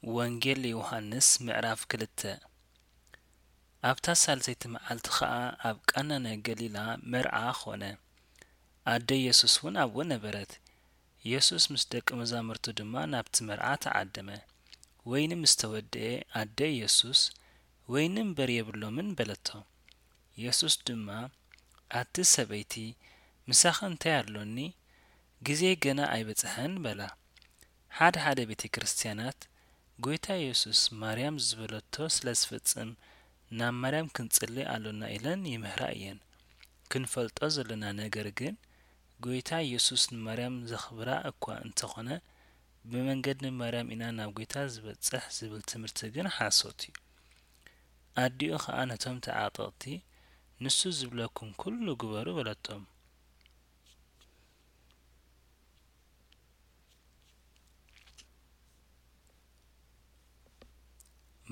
ወንጌል ዮሃንስ ምዕራፍ ክልተ። ኣብታ ሳልሰይቲ መዓልቲ ኸኣ ኣብ ቃና ናይ ገሊላ መርዓ ኾነ። ኣደ የሱስ እውን ኣብኡ ነበረት። የሱስ ምስ ደቂ መዛሙርቱ ድማ ናብቲ መርዓ ተዓደመ። ወይኒ ምስ ተወድኤ፣ ኣደ የሱስ፣ "ወይኒ እምበር የብሎምን" በለቶ። የሱስ ድማ፣ "ኣቲ ሰበይቲ፣ ምሳኺ እንታይ ኣሎኒ? ግዜይ ገና ኣይበጽሐን" በላ። ሓደ ሓደ ቤተ ክርስቲያናት፣ ጎይታ የሱስ ማርያም ዝበለቶ ስለ ዝፍጽም፣ ናብ ማርያም ክንጽሊ ኣሎና ኢለን ይምህራ እየን። ክንፈልጦ ዘለና ነገር ግን፣ ጎይታ የሱስ ንማርያም ዘኽብራ እኳ እንተኾነ፣ ብመንገዲ ማርያም ኢና ናብ ጎይታ ዝበጽሕ ዝብል ትምህርቲ ግን ሓሶት እዩ። ኣዲኡ ኸኣ ነቶም ተዓጠቕቲ፣ "ንሱ ዝብለኩም ኩሉ ግበሩ" በለቶም።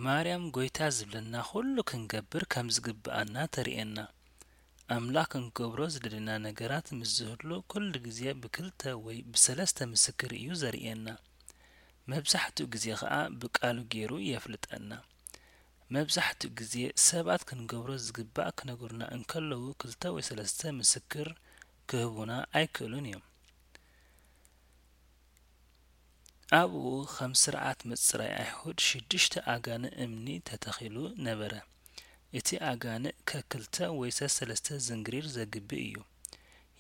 ማርያም ጎይታ ዝብለና ኩሉ ክንገብር ከም ዝግብኣና ተርእየና። ኣምላኽ ክንገብሮ ዝደለና ነገራት ምስ ዝህሉ ኩሉ ግዜ ብክልተ ወይ ብሰለስተ ምስክር እዩ ዘርእየና። መብዛሕትኡ ግዜ ኸኣ ብቃሉ ገይሩ የፍልጠና። መብዛሕትኡ ግዜ ሰባት ክንገብሮ ዝግባእ ክነግሩና እንከለዉ ክልተ ወይ ሰለስተ ምስክር ክህቡና ኣይክእሉን እዮም። ኣብኡ ከም ስርዓት ምጽራይ ኣይሁድ ሽዱሽተ ኣጋንእ እምኒ ተተኺሉ ነበረ። እቲ ኣጋንእ ከክልተ ወይ ሰሰለስተ ዝንግሪር ዘግብእ እዩ።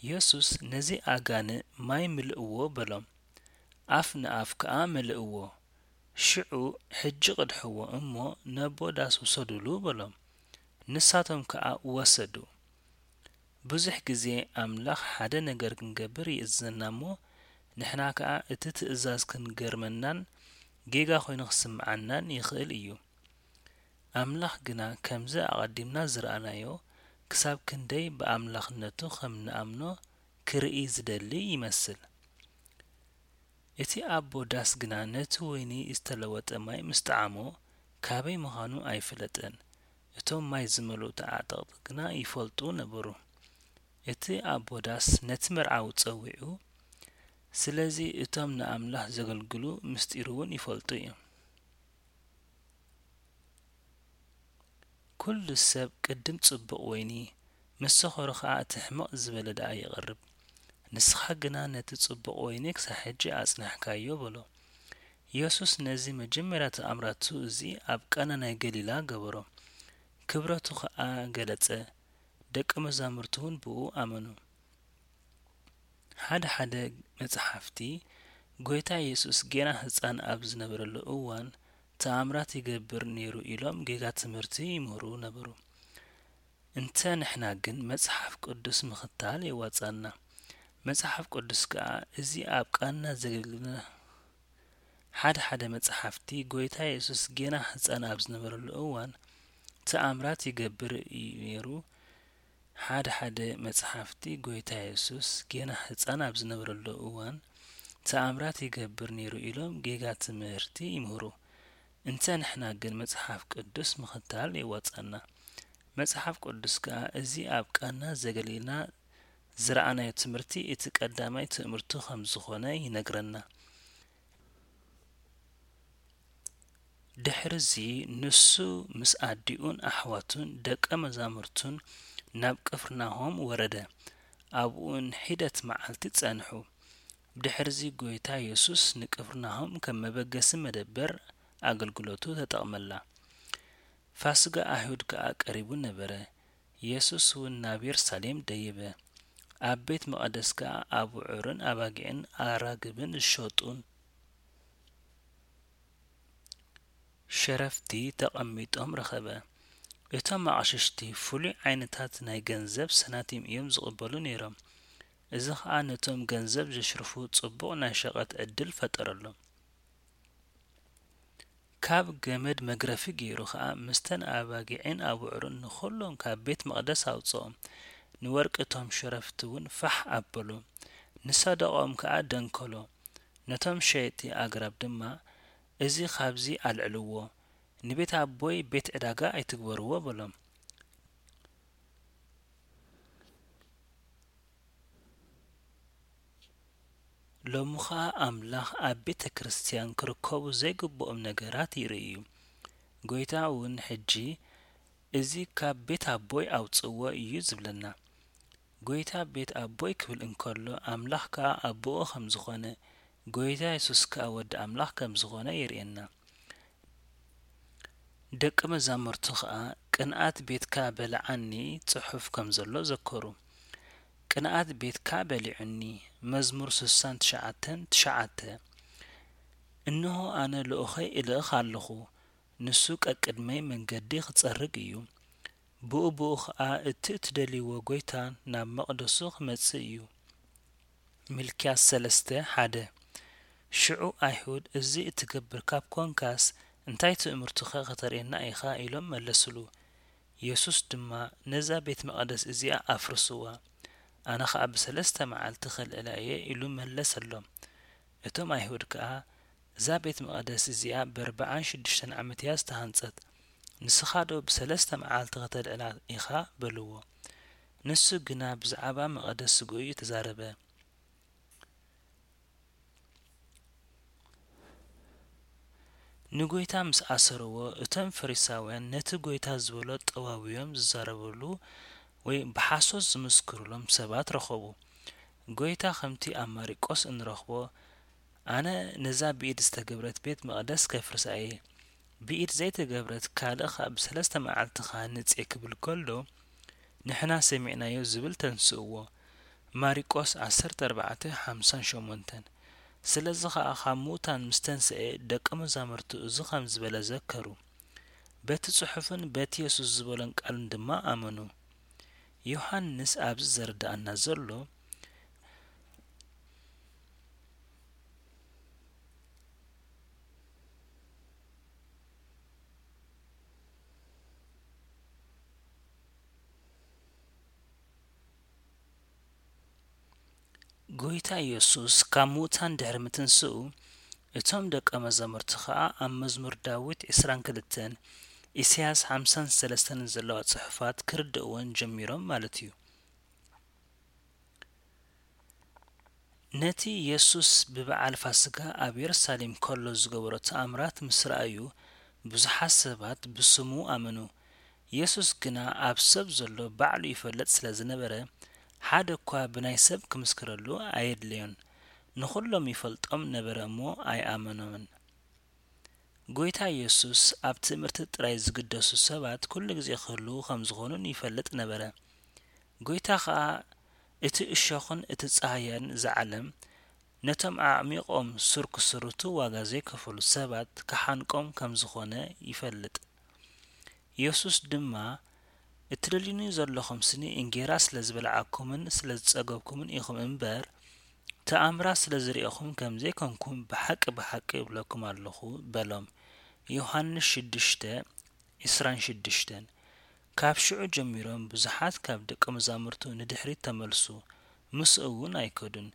የሱስ ነዚ ኣጋንእ ማይ ምልእዎ በሎም። ኣፍ ንኣፍ ከኣ መልእዎ። ሽዑ ሕጂ ቅድሕዎ እሞ ነቦ ዳስ ውሰዱሉ በሎም። ንሳቶም ከኣ ወሰዱ። ብዙሕ ግዜ ኣምላኽ ሓደ ነገር ክንገብር ይእዝዘና እሞ፣ ንሕና ከኣ እቲ ትእዛዝ ክንገርመናን ጌጋ ኮይኑ ክስምዓናን ይኽእል እዩ። ኣምላኽ ግና ከምዚ ኣቐዲምና ዝረኣናዮ፣ ክሳብ ክንደይ ብኣምላኽነቱ ከም ንኣምኖ ክርኢ ዝደሊ ይመስል። እቲ ኣቦ ዳስ ግና ነቲ ወይኒ ዝተለወጠ ማይ ምስ ጠዓሞ፣ ካበይ ምዃኑ ኣይፈለጠን። እቶም ማይ ዝመልኡ ተዓጠቕቲ ግና ይፈልጡ ነበሩ። እቲ ኣቦ ዳስ ነቲ መርዓዊ ጸዊዑ፣ ስለዚ እቶም ንኣምላኽ ዘገልግሉ ምስጢሩ እውን ይፈልጡ እዮም። ኩሉ ሰብ ቅድም ጽቡቕ ወይኒ፣ ምስ ሰኸሩ ኸኣ እቲ ሕምቕ ዝበለ ደኣ የቕርብ። ንስኻ ግና ነቲ ጽቡቕ ወይኒ ክሳብ ሕጂ ኣጽናሕካዮ በሎ። የሱስ ነዚ መጀመርያ ተኣምራቱ እዚ ኣብ ቃና ናይ ገሊላ ገበሮ። ክብረቱ ኸኣ ገለጸ። ደቀ መዛሙርቱ እውን ብኡ ኣመኑ። ሓደ ሓደ መጽሓፍቲ፣ ጎይታ የሱስ ጌና ህጻን ኣብ ዝነበረሉ እዋን ተኣምራት ይገብር ነይሩ ኢሎም ጌጋ ትምህርቲ ይምህሩ ነበሩ። እንተ ንሕና ግን መጽሓፍ ቅዱስ ምኽታል የዋጽኣና። መጽሓፍ ቅዱስ ከኣ እዚ ኣብ ቃና ዘገልግልና ሓደ ሓደ መጽሓፍቲ፣ ጎይታ የሱስ ጌና ህጻን ኣብ ዝነበረሉ እዋን ተኣምራት ይገብር እዩ ነይሩ። ሓደ ሓደ መጽሓፍቲ፣ ጎይታ የሱስ ጌና ህጻን ኣብ ዝነበረሉ እዋን ተኣምራት ይገብር ነይሩ ኢሎም ጌጋ ትምህርቲ ይምህሩ። እንተ ንሕና ግን መጽሓፍ ቅዱስ ምኽታል የዋጽኣና። መጽሓፍ ቅዱስ ከኣ እዚ ኣብ ቃና ዘገልግልና ዝረኣናዮ ትምህርቲ እቲ ቀዳማይ ትእምርቱ ከም ዝኾነ ይነግረና። ድሕርዚ ንሱ ምስ ኣዲኡን ኣሕዋቱን ደቀ መዛሙርቱን ናብ ቅፍርናሆም ወረደ። ኣብኡ ንሒደት መዓልቲ ጸንሑ። ብድሕርዚ ጎይታ የሱስ ንቅፍርናሆም ከም መበገሲ መደበር ኣገልግሎቱ ተጠቕመላ። ፋስጋ ኣይሁድ ከኣ ቀሪቡ ነበረ። የሱስ እውን ናብ የሩሳሌም ደየበ። ኣብ ቤት መቐደስ ከኣ ኣብዑርን ኣባጊዕን ኣራግብን ዝሸጡን ሸረፍቲ ተቐሚጦም ረኸበ። እቶም ኣቕሽሽቲ ፍሉይ ዓይነታት ናይ ገንዘብ ሰናቲም እዮም ዝቕበሉ ነይሮም። እዚ ኸኣ ነቶም ገንዘብ ዘሽርፉ ጽቡቕ ናይ ሸቐጥ ዕድል ፈጠረሎም። ካብ ገመድ መግረፊ ገይሩ ኸኣ ምስተን ኣባጊዕን ኣብዑርን ንኹሎም ካብ ቤት መቕደስ ኣውጽኦም። ንወርቂ እቶም ሸረፍቲ እውን ፋሕ ኣበሉ። ንሰደቓኦም ከኣ ደንከሎ። ነቶም ሸየጥቲ ኣግራብ ድማ፣ "እዚ ኻብዚ ኣልዕልዎ፣ ንቤት ኣቦይ ቤት ዕዳጋ ኣይትግበርዎ" በሎም። ሎሚ ኸኣ ኣምላኽ ኣብ ቤተ ክርስትያን ክርከቡ ዘይግብኦም ነገራት ይርኢ እዩ። ጐይታ እውን ሕጂ፣ "እዚ ካብ ቤት ኣቦይ ኣውጽእዎ" እዩ ዝብለና። ጐይታ ቤት ኣቦይ ክብል እንከሎ፣ ኣምላኽ ከኣ ኣቦኡ ከም ዝኾነ፣ ጐይታ የሱስ ከኣ ወዲ ኣምላኽ ከም ዝኾነ የርእየና። ደቂ መዛሙርቱ ኸኣ፣ "ቅንኣት ቤትካ በልዓኒ" ጽሑፍ ከም ዘሎ ዘከሩ። "ቅንኣት ቤትካ በሊዑኒ" መዝሙር ስሳን ትሽዓተን ትሽዓተ። "እንሆ ኣነ ልኡኸይ እልእኽ ኣለኹ፣ ንሱ ቀቅድመይ መንገዲ ክጸርግ እዩ። ብኡ ብኡ ኸኣ እቲ እትደልይዎ ጐይታ ናብ መቕደሱ ክመጽእ እዩ" ሚልክያስ ሰለስተ ሓደ። ሽዑ ኣይሁድ፣ "እዚ እትገብር ካብ ኰንካስ፣ እንታይ ትእምርቱኸ ኸተርእየና ኢኻ?" ኢሎም መለሱሉ። የሱስ ድማ፣ "ነዛ ቤት መቕደስ እዚኣ ኣፍርስዋ፣ ኣነ ኸኣ ብሰለስተ መዓልቲ ኸልዕላ እየ" ኢሉ መለሰሎም። እቶም ኣይሁድ ከኣ፣ "እዛ ቤት መቕደስ እዚኣ በርብዓን ሽዱሽተን ዓመት እያ ዝተሃንጸት፣ ንስኻዶ ብሰለስተ መዓልቲ ኸተልዕላ ኢኻ?" በልዎ። ንሱ ግና ብዛዕባ መቐደስ ስግኡ እዩ ተዛረበ። ንጐይታ ምስ ኣሰርዎ፣ እቶም ፈሪሳውያን ነቲ ጐይታ ዝበሎ ጠዋውዮም ዝዛረብሉ ወይ ብሓሶት ዝምስክሩሎም ሰባት ረኸቡ። ጐይታ ከምቲ ኣብ ማሪቆስ እንረኽቦ፣ "ኣነ ነዛ ብኢድ ዝተገብረት ቤት መቕደስ ከፍርሳ እየ፣ ብኢድ ዘይተገብረት ካልእ ኸኣ ብሰለስተ መዓልቲ ክሃንጽ እየ" ክብል ከሎ፣ "ንሕና ሰሚዕናዮ" ዝብል ተንስእዎ። ማሪቆስ ዓሰርተ ኣርባዕተ ሓምሳን ሸሞንተን። ስለዚ ኸኣ ካብ ምዉታን ምስ ተንስኤ፣ ደቀ መዛሙርቱ እዚ ኸም ዝበለ ዘከሩ። በቲ ጽሑፍን በቲ የሱስ ዝበሎን ቃልን ድማ ኣመኑ። ዮሃንስ ኣብዚ ዘረድኣና ዘሎ፣ ጐይታ የሱስ ካብ ምዉታን ድሕሪ ምትንስኡ፣ እቶም ደቀ መዛሙርቲ ኸኣ ኣብ መዝሙር ዳዊት ዕስራን ክልተን፣ ኢሳያስ ሓምሳን ሰለስተን ዘለዋ ጽሑፋት ክርድእወን ጀሚሮም ማለት እዩ። ነቲ የሱስ ብበዓል ፋስጋ ኣብ የሩሳሌም ከሎ ዝገበሮ ተኣምራት ምስ ረኣዩ፣ ብዙሓት ሰባት ብስሙ ኣመኑ። የሱስ ግና ኣብ ሰብ ዘሎ ባዕሉ ይፈልጥ ስለ ዝነበረ፣ ሓደ እኳ ብናይ ሰብ ክምስክረሉ ኣየድለዮን። ንኹሎም ይፈልጦም ነበረ እሞ ኣይኣመኖምን። ጐይታ የሱስ ኣብ ትእምርቲ ጥራይ ዝግደሱ ሰባት ኩሉ ግዜ ክህልዉ ከም ዝኾኑን ይፈልጥ ነበረ። ጐይታ ኸኣ እቲ እሾኽን እቲ ጻህያን እዛ ዓለም ነቶም ኣዕሚቖም ሱር ክስርቱ ዋጋ ዘይከፈሉ ሰባት ክሓንቆም ከም ዝኾነ ይፈልጥ። የሱስ ድማ፣ "እትደልዩኒ ዘለኹምስኒ እንጌራ ስለ ዝበልዓኩምን ስለ ዝጸገብኩምን ኢኹም እምበር፣ ተኣምራት ስለ ዝርኤኹም ከም ዘይኮንኩም ብሓቂ ብሓቂ እብለኩም ኣለኹ" በሎም። ዮሃንስ ሽዱሽተ፣ ዕስራን ሽዱሽተን። ካብ ሽዑ ጀሚሮም ብዙሓት ካብ ደቀ መዛሙርቱ ንድሕሪት ተመልሱ፣ ምስኡ እውን ኣይከዱን።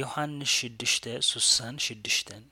ዮሃንስ ሽዱሽተ፣ ስሳን ሽዱሽተን።